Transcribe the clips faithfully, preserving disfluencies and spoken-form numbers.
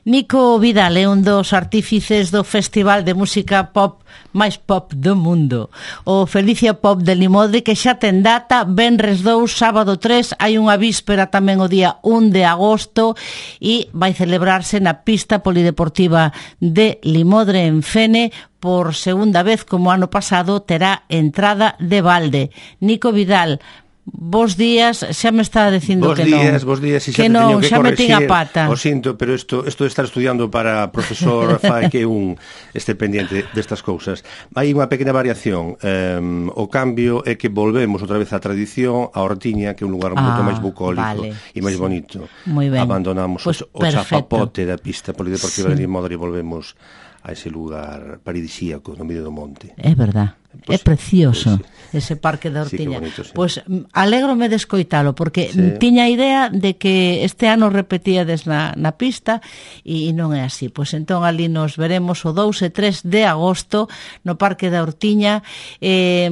Nico Vidal é un dos artífices do Festival de Música Pop máis pop do mundo, o Felicia Pop de Limodre, que xa ten data, venres dous, sábado tres, hai unha víspera tamén o día un de agosto e vai celebrarse na pista polideportiva de Limodre en Fene. Por segunda vez, como ano pasado, terá entrada de balde. Nico Vidal, bos días, xa me está dicindo bos que días, non. Bos días, bos días, que non, xa me ten a pata. O sinto, pero isto, isto de estar estudiando para profesor fai que un este pendiente destas cousas. Hai unha pequena variación. Um, o cambio é que volvemos outra vez á tradición, a Hortiña, que é un lugar ah, moito máis bucólico vale, e máis sí. bonito. Muy ben. Abandonamos pues o chapapote da pista polideportiva sí. de Limodre e volvemos a ese lugar paradisíaco no medio do monte. É verdad. Pues, é precioso pues, ese parque da Hortiña. Sí, sí. Pois pues, alégrome de escoitalo, porque sí. tiña a idea de que este ano repetíades na, na pista e non é así. Pois pues, entón ali nos veremos o dous e tres de agosto no parque da Hortiña. Eh,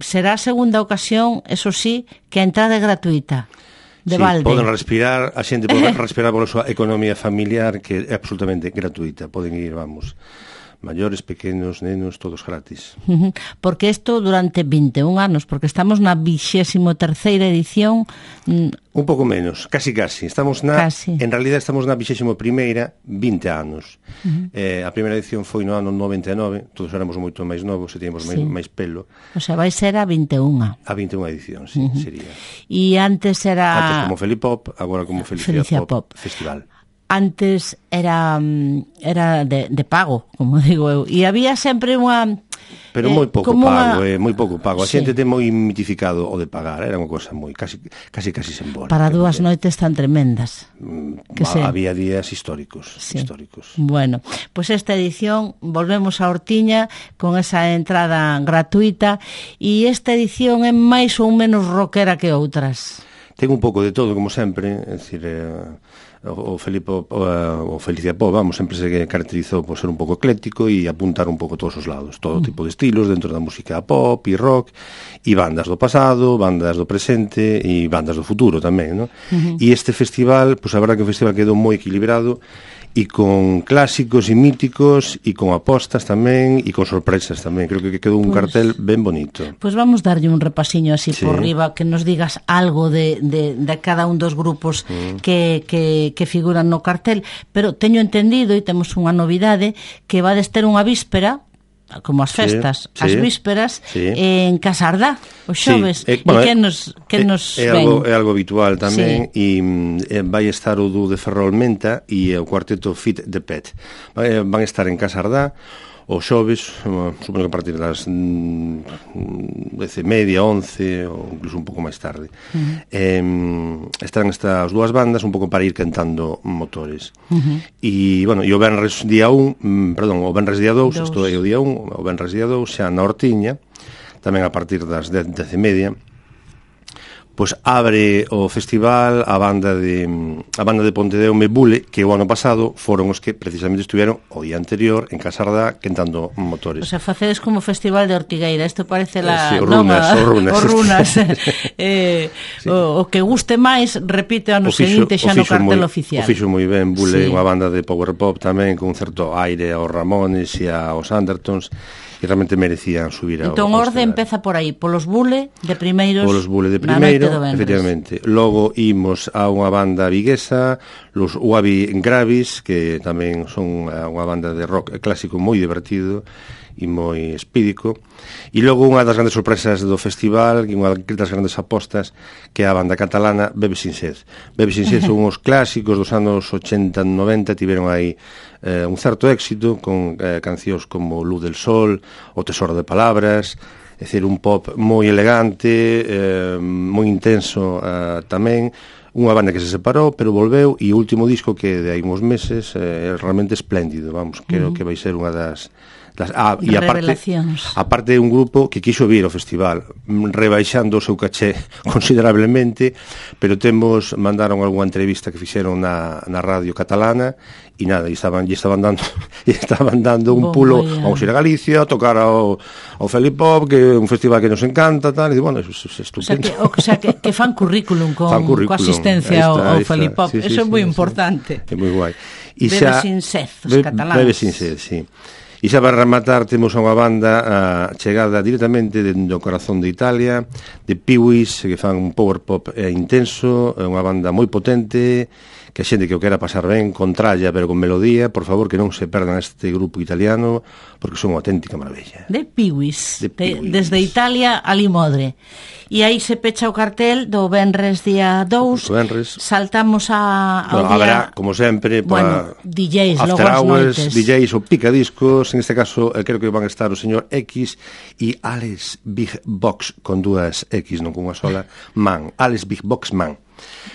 será a segunda ocasión, eso sí, que a entrada é gratuita. De sí, balde. Poden respirar, a xente pode respirar pola súa economía familiar, que é absolutamente gratuita. Poden ir, vamos, maiores, pequenos, nenos, todos gratis. Porque isto durante vinte e un anos, porque estamos na vixésimo terceira edición. Un pouco menos, casi casi. Estamos na, casi. En realidad estamos na vixésimo primeira, vinte anos. Uh-huh. eh, a primeira edición foi no ano noventa e nove, todos éramos moito máis novos e tíamos máis, sí. máis pelo. O sea, vai ser a vinte e unha. A vinte e unha edición, sí, uh-huh. sería. E antes era... Antes como Felipop, agora como Felicia, Felicia Pop, Pop Festival. Antes era era de, de pago, como digo eu, e había sempre unha... Pero eh, moi pouco pago, una... eh, moi pouco pago. A sí. xente ten moi mitificado o de pagar, era unha cosa moi casi casi casi simbólica. Para dúas noites tan tremendas. Mm, que se... Había días históricos, sí. históricos. Bueno, pois pues esta edición volvemos a Hortiña con esa entrada gratuita e esta edición é máis ou menos rockera que outras. Ten un pouco de todo, como sempre, é dicir, eh, o Felipe o, o Felicia Pop, vamos, sempre se caracterizou por ser un pouco ecléctico e apuntar un pouco todos os lados, todo tipo de estilos dentro da música pop e rock, e bandas do pasado, bandas do presente e bandas do futuro tamén, non? Uh-huh. E este festival, pois pues, a verdade que o festival quedou moi equilibrado e con clásicos e míticos e con apostas tamén e con sorpresas tamén. Creo que quedou un pues, cartel ben bonito. Pois pues vamos darlle un repasiño así sí. por riba, que nos digas algo de, de, de cada un dos grupos mm. que, que, que figuran no cartel, pero teño entendido e temos unha novidade que vades ter unha víspera como as festas, sí, as sí, vísperas sí. en Casardá, os xoves. Sí, eh, bueno, e que nos, que é, nos é, ven? Algo, é algo habitual tamén, sí. e vai estar o dúo de Ferrolmenta e o cuarteto Fit the Pet. Van estar en Casardá os xoves, supoño que a partir das dez e media, once, ou incluso un pouco máis tarde. Uh-huh. Eh, estarán estas dúas bandas un pouco para ir cantando motores. Uh-huh. E, bueno, e o venres día un, perdón, o venres día dous, isto é o día un, o venres día dous, xa na Hortiña, tamén a partir das dez, dez e media, pois abre o festival a banda de a banda de Pontedeume Bule, que o ano pasado foron os que precisamente estiveron o día anterior en Casardá cantando motores. O sea, facedes como festival de Ortigueira, isto parece la... Sí, o runas, no, o runas. O runas. eh, sí. o, o que guste máis, repite ano seguinte xa no cartel moi, oficial. O fixo moi ben, Bule, sí. unha banda de power pop tamén, con un certo aire aos Ramones e aos Andertons, e realmente merecían subir ao... Entón, orde empeza por aí, polos Bule de primeiros... Polos Bule de primeiro, efectivamente. Logo imos a unha banda viguesa, los Wabi Gravis, que tamén son unha banda de rock clásico moi divertido e moi espídico. E logo unha das grandes sorpresas do festival, e unha das grandes apostas, que é a banda catalana Bebe Sin Sed. Bebe Sin Sed son os clásicos dos anos ochenta, noventa, tiveron aí eh, un certo éxito con eh, cancións como Luz del Sol, O Tesoro de Palabras, é dicir, un pop moi elegante, eh, moi intenso eh, tamén, unha banda que se separou, pero volveu, e o último disco que de aí uns meses é eh, realmente espléndido, vamos, creo uh-huh. que vai ser unha das... das ah, e aparte, aparte é un grupo que quixo vir ao festival, rebaixando o seu caché considerablemente, pero temos, mandaron algunha entrevista que fixeron na, na radio catalana, e nada, e estaban, e estaban dando e estaban dando un pulo, vamos ir a Galicia, a tocar ao, ao Felipop, que é un festival que nos encanta, tal, e bueno, é estupendo. O sea, que, o sea que, que fan currículum con, fan currículum, coa asistencia está, ao, ao Felipop, sí, sí, eso sí, é moi sí, importante. É moi guai. Bebe sin sed, os cataláns. Bebe sin sed, sí. E xa para rematar temos unha banda uh, chegada directamente do corazón de Italia, de Pee-wees, que fan un power pop eh, intenso, é unha banda moi potente, que a xente que o quera pasar ben, con tralla, pero con melodía, por favor, que non se perdan este grupo italiano, porque son unha auténtica maravilla. De Pee-wees, de de, desde Italia a Limodre. E aí se pecha o cartel do Venres día dous, Venres. Saltamos a, ao bueno, día... Habrá, como sempre, bueno, para D Js, logo after as hours, noites. D Js ou picadiscos, en este caso, eh, creo que van a estar o señor X e Alex Big Box, con dúas X, non con unha sola, Man, Alex Big Box Man.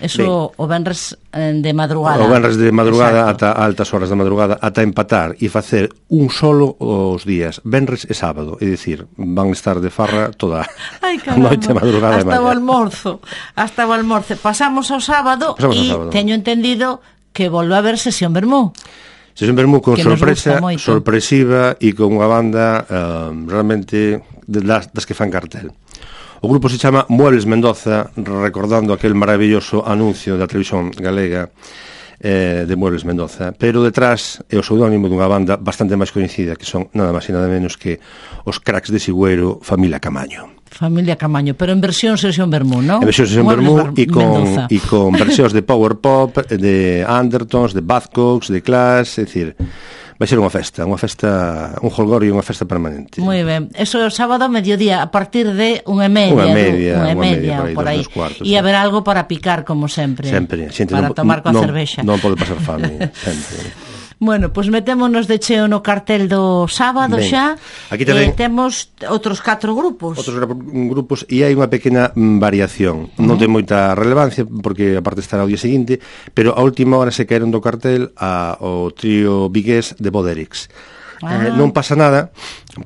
Eso ben, o venres de madrugada. O venres de madrugada Exacto. ata altas horas da madrugada, ata empatar e facer un solo os días, venres e sábado, é dicir, van estar de farra toda Ay, a noite, madrugada e hasta mañá. o almorzo, hasta o almorzo. Pasamos ao sábado e teño entendido que volve a haber sesión Vermú. Sesión Vermú con sorpresa, sorpresiva e con unha banda um, realmente de das, das que fan cartel. O grupo se chama Muebles Mendoza, recordando aquel maravilloso anuncio da televisión galega eh, de Muebles Mendoza, pero detrás é o pseudónimo dunha banda bastante máis coñecida, que son nada máis e nada menos que os Cracks de Sigüeiro, Familia Camaño. Familia Camaño, pero en versión sesión Vermú, non? En versión sesión Vermú e con, e con versións de power pop, de Undertones, de Buzzcocks, de Clash, é dicir, vai ser unha festa, unha festa, un jolgorio e unha festa permanente. Moi ben. Eso é o sábado a mediodía, a partir de unha media, unha media, unha media, media por aí. Cuartos, e haber algo para picar, como sempre. Sempre. Xente para non, tomar coa non, cervexa. Non pode pasar fame, sempre. Bueno, pois pues metémonos de cheo no cartel do sábado. Ben, xa. Aquí tamén eh, temos outros catro grupos. Outros grupos e hai unha pequena variación. Uh-huh. Non ten moita relevancia porque aparte estará o día seguinte, pero a última hora se caeron do cartel a, o trío vigués de Boderix. Ah. Eh, non pasa nada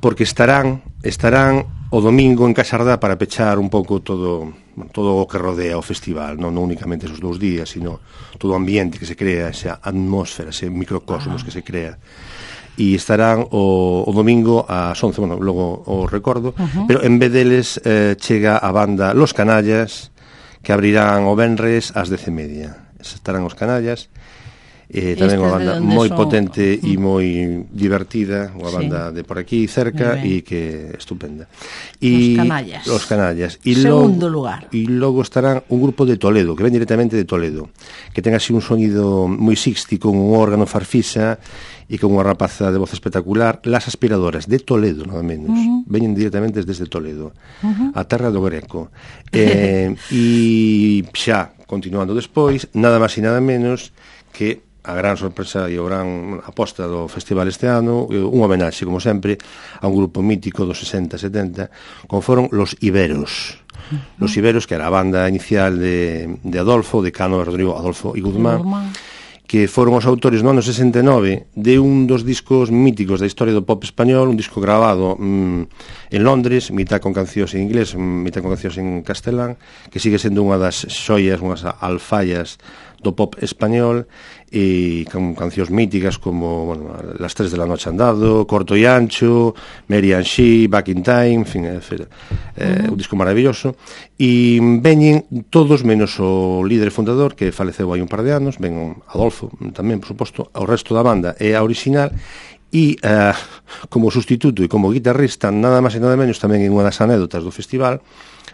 porque estarán estarán o domingo en Casardá para pechar un pouco todo todo o que rodea o festival, non, non únicamente esos dous días, sino todo o ambiente que se crea, esa atmósfera, ese microcosmos ah. que se crea. E estarán o, o domingo ás once, bueno, logo o recordo, uh-huh. pero en vez deles eh, chega a banda Los Canallas, que abrirán o venres ás dez e media. Estarán os Canallas, eh, tamén unha banda moi son... potente e moi divertida, unha banda sí. de por aquí cerca e que estupenda. E Los Canallas. Los Canallas. E segundo logo, lugar. E logo estarán un grupo de Toledo, que ven directamente de Toledo, que ten así un sonido moi sixty, con un órgano farfisa e con unha rapaza de voz espectacular. Las Aspiradoras, de Toledo, nada menos. Uh-huh. Veñen directamente desde Toledo, uh-huh. a terra do Greco. Eh, e xa, continuando despois, nada máis e nada menos que a gran sorpresa e a gran aposta do festival este ano, un homenaxe, como sempre, a un grupo mítico dos sesenta setenta, como foron Los Iberos. Uh-huh. Los Iberos, que era a banda inicial de, de Adolfo, de Cano, Rodrigo, Adolfo e Guzmán, Guzmán, que foron os autores no ano sesenta e nove de un dos discos míticos da historia do pop español, un disco grabado mm, en Londres, mitad con cancións en inglés, mitad con cancións en castelán, que sigue sendo unha das xoias, unhas alfallas do pop español, e con cancións míticas como, bueno, Las tres de la noche andado, Corto e ancho, Mary and She, Back in Time, en fin, é, é, uh-huh. un disco maravilloso, e veñen todos menos o líder fundador, que faleceu hai un par de anos, ven Adolfo tamén, por suposto, o resto da banda é a original, e uh, como sustituto e como guitarrista, nada máis e nada menos, tamén en unha das anécdotas do festival,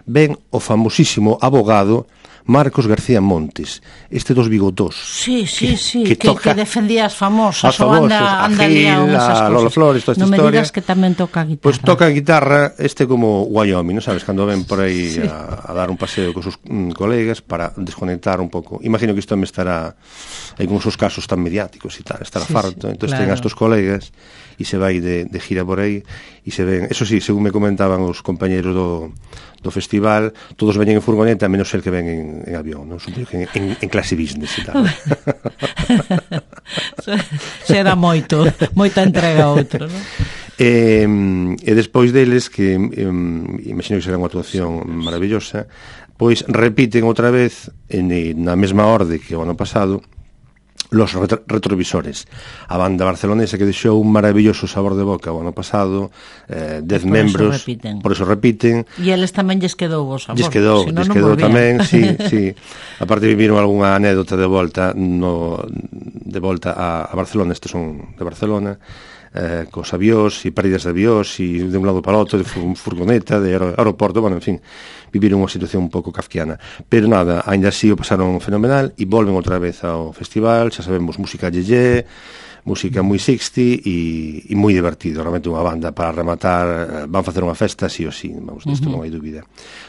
ven o famosísimo abogado Marcos García Montes, este dos bigotós. Sí, sí, que, sí, que, que, toca que defendía as famosas, as famosas, anda, anda a Gil, a Lola Flores, toda esta non historia. Non me digas que tamén toca a guitarra. Pois pues toca a guitarra, este como Wyoming, non sabes, cando ven por aí sí. a, a dar un paseo con sus mm, colegas para desconectar un pouco. Imagino que isto me estará aí con os casos tan mediáticos e tal, estará sí, farto, sí, entón claro. ten a estos colegas e se vai de, de gira por aí e se ven, eso sí, según me comentaban os compañeros do, do festival, todos veñen en furgoneta, menos el que ven en, en avión, non? Supoño que en, en, en clase business e tal. Será moito, moita entrega a outro, non? E, e despois deles, que um, imagino que será unha actuación maravillosa, pois repiten outra vez en, na mesma orde que o ano pasado, Los retrovisores, a banda barcelonesa que deixou un maravilloso sabor de boca o ano pasado, eh, dez membros, por eso repiten. E eles tamén lles quedou o sabor. Lles quedou, si no, lles no quedou tamén, sí, sí. Aparte viviron algunha anécdota de volta no, de volta a, a Barcelona, estes son de Barcelona, eh, cos avións e pérdidas de avións e de un lado para o outro, de furgoneta, de aeroporto, bueno, en fin, viviron unha situación un pouco kafkiana. Pero nada, ainda así o pasaron fenomenal e volven outra vez ao festival, xa sabemos, música yeye, música moi sixty e, e moi divertido, realmente unha banda para rematar, van facer unha festa sí ou sí, vamos, disto uh -huh. non hai dúbida.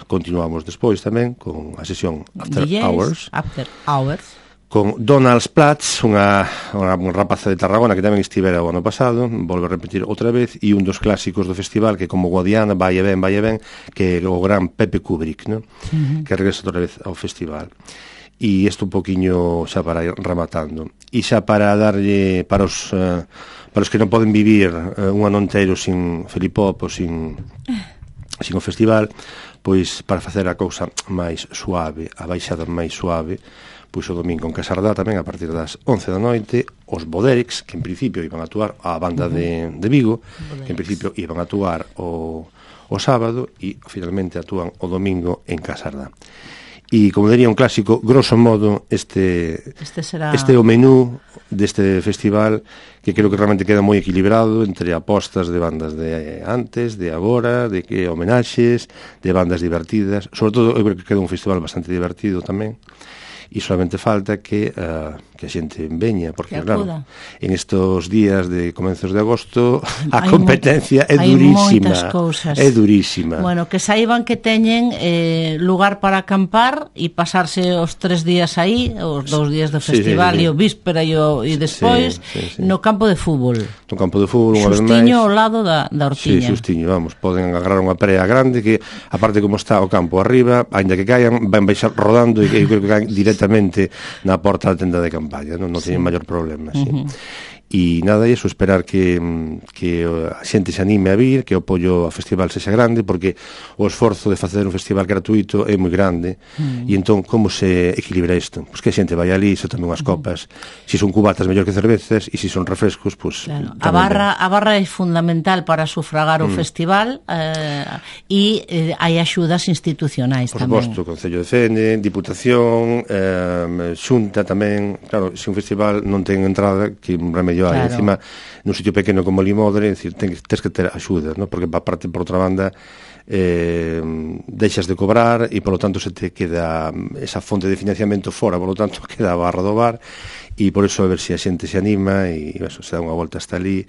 Continuamos despois tamén con a sesión After D Js, Hours. After Hours. Con Donald Platz, unha, unha rapaza de Tarragona que tamén estivera o ano pasado, volve a repetir outra vez, e un dos clásicos do festival que como Guadiana, vai e ben, vai e ben, que é o gran Pepe Kubrick, ¿no? Uh -huh. Que regresa outra vez ao festival. E isto un poquinho xa para ir rematando. E xa para darlle para os, uh, para os que non poden vivir uh, un ano inteiro sin Felipop ou sin, sin o festival, pois para facer a cousa máis suave, a baixada máis suave, pois o domingo en Casardá tamén a partir das once da noite os Boderix, que en principio iban a actuar a banda uh -huh. de, de Vigo, Boderix. Que en principio iban a actuar o, o sábado e finalmente actúan o domingo en Casardá. E como diría un clásico, grosso modo este este, será... este é o menú deste festival, que creo que realmente queda moi equilibrado entre apostas de bandas de antes, de agora, de que homenaxes, de bandas divertidas. Sobre todo eu creo que queda un festival bastante divertido tamén. E solamente falta que, uh, que a xente veña, porque claro, en estos días de comenzos de agosto a competencia é durísima, é durísima. Bueno, que saiban que teñen eh, lugar para acampar e pasarse os tres días aí, os dous días do festival, sí, sí, sí. E o víspera e, o, e despois sí, sí, sí. No campo de fútbol. No campo de fútbol, unha vez máis. Xustiño ao lado da, da Ortiña. Sí, xustiño, vamos, poden agarrar unha prea grande que, aparte como está o campo arriba, ainda que caian, van baixar rodando e eu creo que caen directamente na porta da tenda de campaña, non, non sí. Teñen maior problema, sí. Uh -huh. E nada, iso, esperar que, que a xente se anime a vir, que o apoio ao festival sexa grande, porque o esforzo de facer un festival gratuito é moi grande, mm. E entón, como se equilibra isto? Pois que a xente vai ali, se tome unhas copas, mm. Se son cubatas mellor que cervezas, e se son refrescos, pois... Claro. A barra a barra é fundamental para sufragar o mm. festival, eh, e eh, hai axudas institucionais por tamén. Por suposto, Concello de Fene, Diputación, eh, Xunta tamén, claro, se un festival non ten entrada, que un remedio hai, claro. Encima, nun sitio pequeno como Limodre, é dicir, ten, tens que ter axuda, ¿no? Porque aparte, por outra banda, eh, deixas de cobrar e, polo tanto, se te queda esa fonte de financiamento fora, polo tanto, queda a barra do bar, e por eso a ver se a xente se anima e eso, se dá unha volta hasta ali,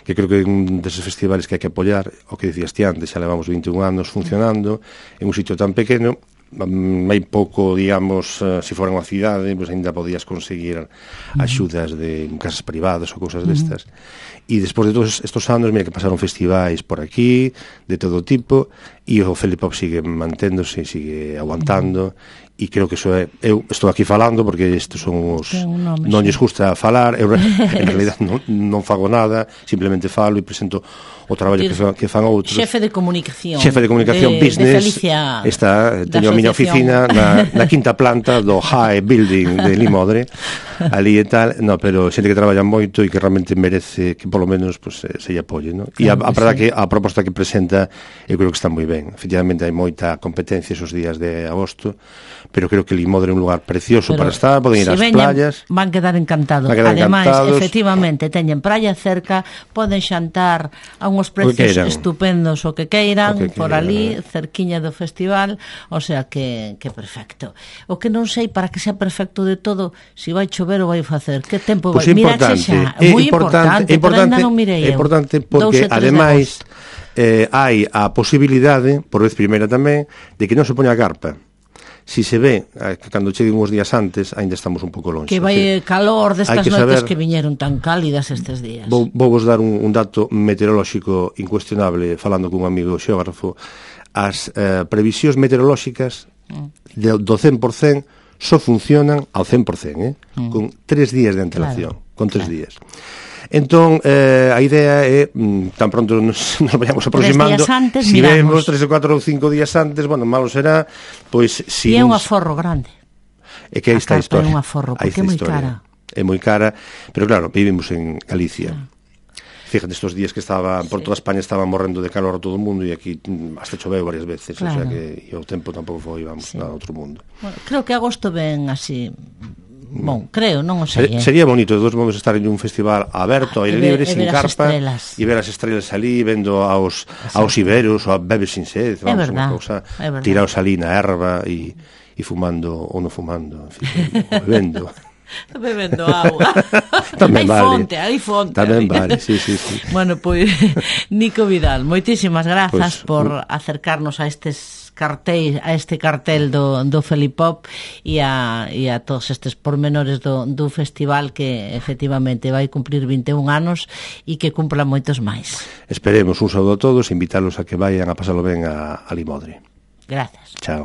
que creo que é un deses festivales que hai que apoiar, o que dicías ti antes, xa levamos vinte e un anos funcionando, en un sitio tan pequeno, hai pouco, digamos, uh, se fora unha cidade, pois ainda podías conseguir axudas de casas privadas ou cousas destas. E despois de todos estes anos, mira que pasaron festivais por aquí, de todo tipo, e o Felipop sigue manténdose, sigue aguantando, e creo que eso é, eu estou aquí falando porque estes son os nome, non lles gusta falar, eu en realidad non, non fago nada, simplemente falo e presento o traballo que, fa, que fan outros. Xefe de comunicación. Xefe de comunicación de, business. De Felicia, está, teño a miña oficina na, na quinta planta do High Building de Limodre, ali e tal, no, pero xente que traballa moito e que realmente merece que polo menos pues, se lle apoie, no? E claro, a, a verdad sí. Que a proposta que presenta eu creo que está moi ben. Efectivamente hai moita competencia esos días de agosto, pero creo que Limodre é un lugar precioso pero para estar, poden ir ás playas. Van quedar encantados. Quedar Ademais, encantados. Efectivamente, teñen praia cerca, poden xantar a uns precios estupendos o que queiran, o que por queiran, ali, eh. cerquiña do festival, o sea que, que perfecto. O que non sei para que sea perfecto de todo, se si vai chover ou vai facer, que tempo pues vai? Miraxe xa, é moi importante, importante, pero ainda non mirei eu. É importante porque, ademais, eh, hai a posibilidade, por vez primeira tamén, de que non se poña a carpa. Si se ve, que cando cheguen uns días antes, ainda estamos un pouco longe. Que vai o calor destas que noites saber, que viñeron tan cálidas estes días. Vou, vou vos dar un, un dato meteorolóxico incuestionable, falando cun amigo xeógrafo. As eh, previsións meteorolóxicas de, do cen por cen só funcionan ao cen por cen, eh? Mm. Con tres días de antelación. Claro, con tres claro. días. Entón, eh, a idea é, mm, tan pronto nos, nos vayamos aproximando, antes, si vemos tres ou catro ou cinco días antes, bueno, malo será, pois... Si e é un aforro grande. É que aí está a historia. É un aforro, porque é moi cara. é moi cara, pero claro, vivimos en Galicia. Ah. Fíjate, estos días que estaba por toda España estaba morrendo de calor a todo o mundo e aquí hasta choveu varias veces, claro. O sea que e o tempo tampouco foi, vamos, sí. Nada outro mundo. Bueno, creo que agosto ven así, bon, creo, non o sei. Eh. Sería bonito de todos modos estar en un festival aberto, ah, aire libre, sin carpa, e ver as estrelas ali, vendo aos Exacto. aos iberos, ou a bebes sin sed, vamos, unha cousa, tiraos ali na erva e e fumando ou non fumando, en fin, bebendo. Bebendo agua. Tamén hai vale. fonte, hai fonte. Tamén vale, sí, sí, sí. Bueno, pois, Nico Vidal, moitísimas grazas pues, por uh, acercarnos a estes cartéis, a este cartel do, do Felipop e a, e a todos estes pormenores do, do festival que efectivamente vai cumplir vinte e un anos e que cumpla moitos máis. Esperemos un saúdo a todos e invitarlos a que vayan a pasalo ben a, a Limodre. Gracias. Chao.